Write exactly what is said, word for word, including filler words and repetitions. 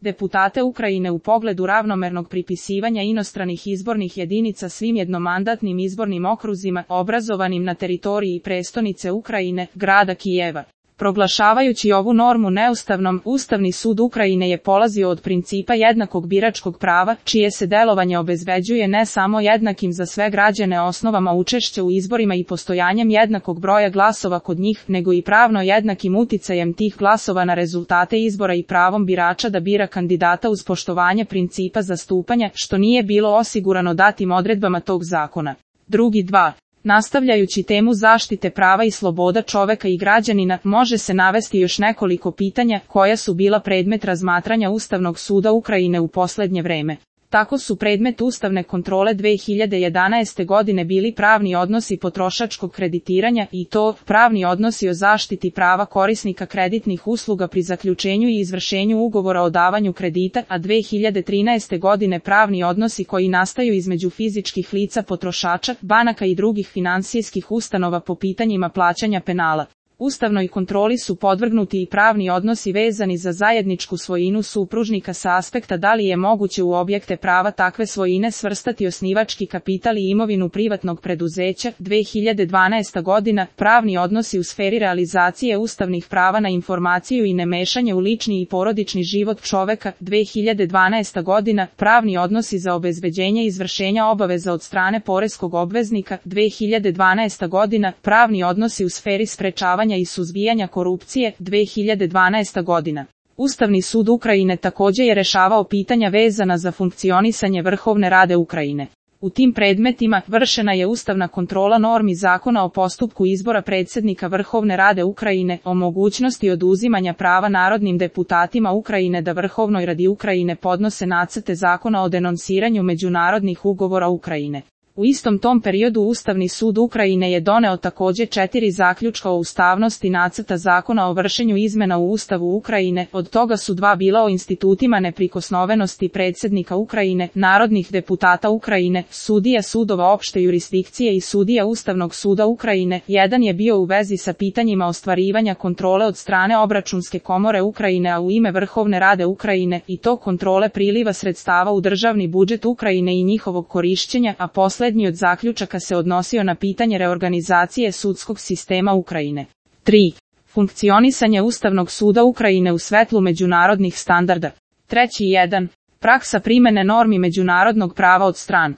deputate Ukrajine u pogledu ravnomernog pripisivanja inostranih izbornih jedinica svim jednomandatnim izbornim okruzima obrazovanim na teritoriji prestonice Ukrajine, grada Kijeva. Proglašavajući ovu normu neustavnom, Ustavni sud Ukrajine je polazio od principa jednakog biračkog prava, čije se delovanje obezbeđuje ne samo jednakim za sve građane osnovama učešća u izborima i postojanjem jednakog broja glasova kod njih, nego i pravno jednakim uticajem tih glasova na rezultate izbora i pravom birača da bira kandidata uz poštovanje principa zastupanja, što nije bilo osigurano datim odredbama tog zakona. Drugi dva. Nastavljajući temu zaštite prava i sloboda čoveka i građanina, može se navesti još nekoliko pitanja koja su bila predmet razmatranja Ustavnog suda Ukrajine u poslednje vreme. Tako su predmet ustavne kontrole dve hiljade jedanaeste godine bili pravni odnosi potrošačkog kreditiranja i to pravni odnosi o zaštiti prava korisnika kreditnih usluga pri zaključenju i izvršenju ugovora o davanju kredita, a dve hiljade trinaeste godine pravni odnosi koji nastaju između fizičkih lica potrošača, banaka i drugih finansijskih ustanova po pitanjima plaćanja penala. Ustavnoj kontroli su podvrgnuti i pravni odnosi vezani za zajedničku svojinu supružnika sa aspekta da li je moguće u objekte prava takve svojine svrstati osnivački kapital i imovinu privatnog preduzeća. dve hiljade dvanaesta godina, pravni odnosi u sferi realizacije ustavnih prava na informaciju i nemešanje u lični i porodični život čoveka. dve hiljade dvanaesta godina, pravni odnosi za obezbeđenje izvršenja obaveza od strane poreskog obveznika. dve hiljade dvanaesta godina, pravni odnosi u sferi sprečavanja i suzbijanja korupcije. dve hiljade dvanaesta godina. Ustavni sud Ukrajine također je rešavao pitanja vezana za funkcionisanje Vrhovne Rade Ukrajine. U tim predmetima vršena je ustavna kontrola normi zakona o postupku izbora predsjednika Vrhovne Rade Ukrajine, o mogućnosti oduzimanja prava narodnim deputatima Ukrajine da Vrhovnoj Radi Ukrajine podnose nacrte zakona o denonsiranju međunarodnih ugovora Ukrajine. U istom tom periodu Ustavni sud Ukrajine je doneo također četiri zaključka o ustavnosti nacrta zakona o vršenju izmena u Ustavu Ukrajine, od toga su dva bila o institutima neprikosnovenosti predsjednika Ukrajine, narodnih deputata Ukrajine, sudija sudova opšte jurisdikcije i sudija Ustavnog suda Ukrajine. Jedan je bio u vezi sa pitanjima ostvarivanja kontrole od strane Obračunske komore Ukrajine, a u ime Vrhovne Rade Ukrajine, i to kontrole priliva sredstava u državni budžet Ukrajine i njihovog korišćenja, a posle Poslednji od zaključaka se odnosio na pitanje reorganizacije sudskog sistema Ukrajine. tri. Funkcionisanje Ustavnog suda Ukrajine u svetlu međunarodnih standarda. Treći jedan. Praksa primene normi međunarodnog prava od stran